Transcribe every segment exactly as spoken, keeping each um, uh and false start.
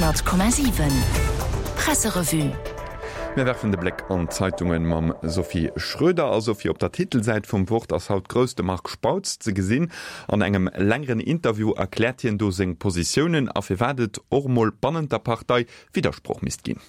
Honnert Komma siwen Presserevue. Mir werfen de Bléck an d'Zeitunge mam Sophie Schröder. A Sophie, op der Titelsäit vum Wort ass haut grouss de Marc Spautz ze gesinn. An engem längeren Interview erkläert hien do seng Positiounen a firwat et och mol bannent der Partei Widdersproch misst ginn.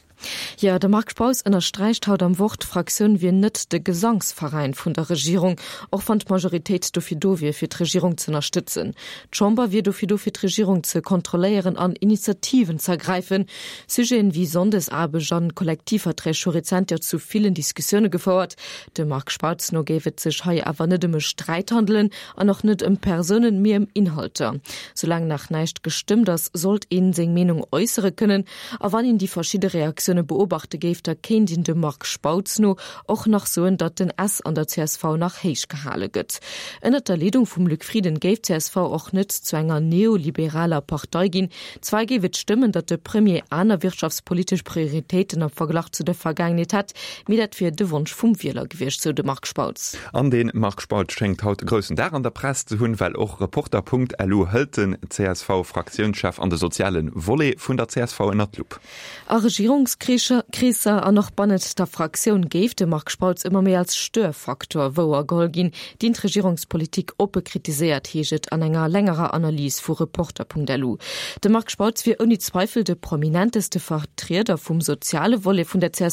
Jo, de Marc Spautz ënnersträicht haut am Wort, d'Fraktioun wier net de Gesangsveräin vun der Regierung, och wann d'Majoritéit dofir do wier, fir d'Regierung z'ënnerstëtzen. D'Chamber wier dofir do, fir d'Regierung ze kontrolléieren an Initiativen z'ergräifen. Sujeten wéi Sonndesaarbecht an Kollektivverträg hu rezent jo zu villen Diskussioune gefouert. Dem Marc Spautz no géif et sech hei awer net ëm e Sträit handelen an och net ëm Persounen, mee ëm Inhalter. Soulaang nach näischt gestëmmt ass, sollt een seng Meenung äussere kënnen. A wann een déi verschidde Reaktioune beobachte géif, da kéint een dem Marc Spautz no och nach soen, datt den S an der csv nach héich gehale gëtt. Ënnert der Leedung vum Luc Frieden géif d'CSV och net zu enger neoliberaler Partei ginn. Zwar géif et stëmmen, datt de Premier aner wirtschaftspolitesch Prioritéiten am Verglach zu der Vergaangenheet hätt, mee dat wier de Wonsch vum Wieler gewiescht, sou de Marc Spautz. An de Marc Spautz schéngt haut e groussen Dag an der Press ze hunn, well och Reporter.lu hëlt den CSV-Fraktiounschef an de soziale Volet vun der csv ënnert d'Lupp. A Regierungskreesser an och bannent der Fraktioun géif de Marc Spautz ëmmer méi als Störfaktor wouergeholl ginn, deen d'Regierungspolitik oppe kritiséiert, heescht et an enger längerer Analys vu Reporter.lu. De Marc Spautz wier ouni Zweifel de prominenteste Vertrieder vum soziale Volet vun der csv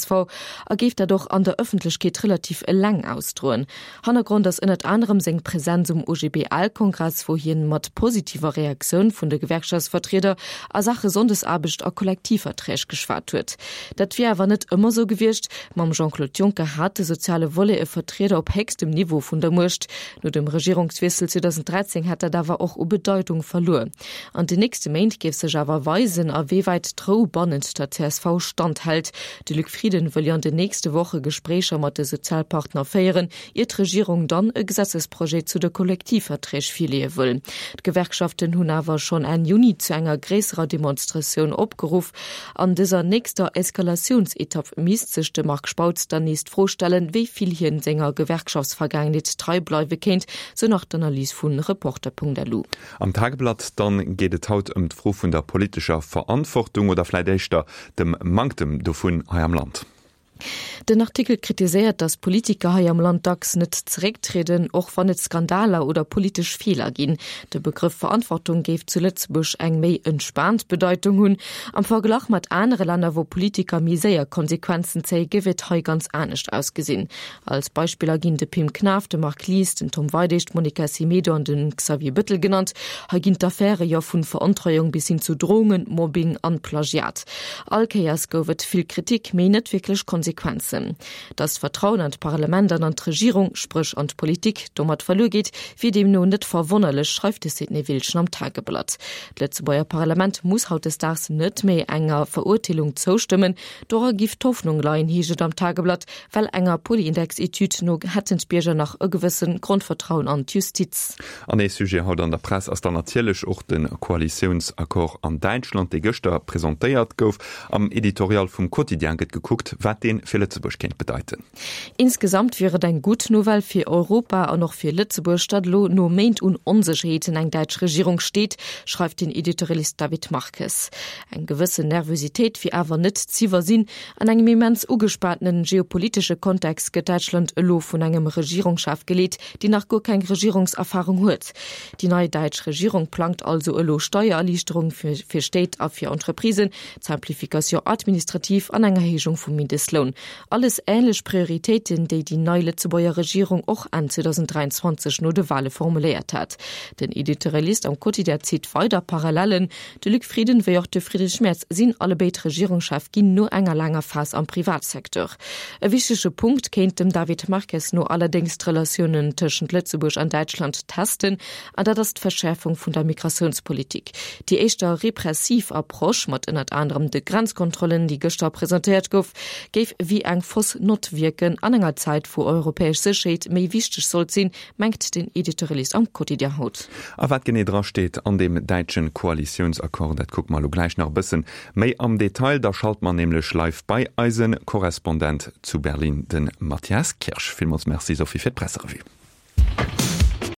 a géif dat och an der Ëffentlechkeet relativ eleng ausdroen. Hannergrond ass ënnert anerem seng Presenz um OGBL-Kongress, wou hien mat positiver Reaktioun vun de Gewerkschaftsvertrieder a Saache Sonndesaarbecht a Kollektivverträg geschwat huet. Dat wier awer net ëmmer sou gewiescht. Mam Jean-Claude Juncker hat de soziale Volet e Vertrieder op héchstem Niveau vun der Muecht. No dem Regierungswiessel zweedausenddräizéng hätt dat awer och u Bedeitung verluer. An den nächste Méint géif sech awer weisen, a wéi wäit d'Rou bannent der csv standhält. De Luc Frieden wëll jo an den nächste Woche Gespréicher mat de Sozialpartner féieren, ier d'Regierung dann e Gesetzesprojet zu de Kollektivverträg virleeë wëll. D'Gewerkschaften hunn awer schonn Enn Juni zu enger gréisserer Demonstratioun opgeruff. An dëser nächster Eskalatiounsetapp misst sech de Marc Spautz dann nees d'Fro stellen, wéi vill hien senger Gewerkschaftsvergaangenheet trei bleiwe kéint, sou nach d'Analys vu Reporter.lu. Am Tageblatt dann geet et haut ëm d'Fro vun der politescher Verantwortung oder vläit éischter dem Manktem dovun hei am Land. Den Artikel kritiséiert, datt Politiker hei am Land dacks net zerécktrieden, och wann et Skandaler oder politesch Feeler ginn. De Begrëff Verantwortung géif zu Lëtzebuerg eng méi entspaant Bedeitung hunn. Am Verglach mat anere Länner, wou Politiker méi séier Konsequenzen zéien, géif et hei ganz anescht ausgesinn. Als Beispiller ginn de Pim Knaff, de Marc Lies, den Tom Weidig, d'Monica Semedo an de Xavier Bëttel genannt. Hei ginn d'Affäre jo vu Verontreiung bis hin zu Drohungen, Mobbing an Plagiat. All Kéiers gouf et vill Kritik, mee net wierklech Konsequenzen. Datt d'Vertrauen an d'Parlament an an d'Regierung, spréch an d'Politik, domat verluer geet, wier deemno net verwonnerlech, schreift de Sidney Wiltgen am Tageblatt. D'Lëtzebuerger Parlament muss hautdesdaags net méi enger Verurteelung zoustëmmen. Dora giff d'Hoffnung leien, heescht et am Tageblatt, well enger Polyindex-Etüd no hätten d'Bierger nach e gewësse Grondvertrauen an d'Justiz. An ee Sujet haut an der Press ass dann natierlech och de Koalitiounsaccord an Däitschland, dee gëschter presentéiert gouf. Am Editorial vum Quotidien gëtt gekuckt, wat dee fir Lëtzebuerg kéint bedeiten. Insgesamt wier et eng gutt Nouvelle fir Europa an och fir Lëtzebuerg, datt elo no Méint un Onsécherheeten eng däitsch Regierung steet, schreift den Editorialist David Marques. Eng gewëssen Nervositéit wier awer net z'iwwersinn. An engem immens ugespaantene geopolitesche Kontext gëtt Däitschland elo vun engem Regierungschef geleet, deen nach guer keng Regierungserfarung huet. Déi nei däitsch Regierung plangt also elo Steiererliichterung fir Stéit a fir Entreprisen, d'Simplification administrative an eng Erhéijung vum Mindestloun. Alles änlech Prioritéiten, déi déi nei Lëtzebuerger Regierung och Enn zweedausenddräianzwanzeg no de Wale formuléiert hat. Den Editorialist am Quotidien zitt weider Parallellen, De Luc Frieden wéi och de Friedrich Merz sinn allebéid Regierungschef ginn no enger laanger Phas am Privatsecteur. E wichtege Punkt kéint dem David Marques no allerdéngs d'Relatiounen tëschent Lëtzebuerg an Däitschland testen, an dat ass d'Verschäerfung vun der Migratiounspolitik. Déi éischter repressiv Approche, mat ënnert anerem de Grenzkontrollen, déi gëschter presentéiert gouf, géif wéi eng fausse Nott wierken an enger Zäit, wou europäesch Sécherheet méi wichteg sollt sinn, mengt den Editorialist am Quotidien haut. A wat genee dra steet an deem däitschen Koalitiounsaccord, dat kucke mer elo gläich nach e bëssen méi am Detail. Da schalte mer nämlech live bei eise Korrespondent zu Berlin, de Matthias Kirsch. Villmools Merci Sophie fir d'Presserevue.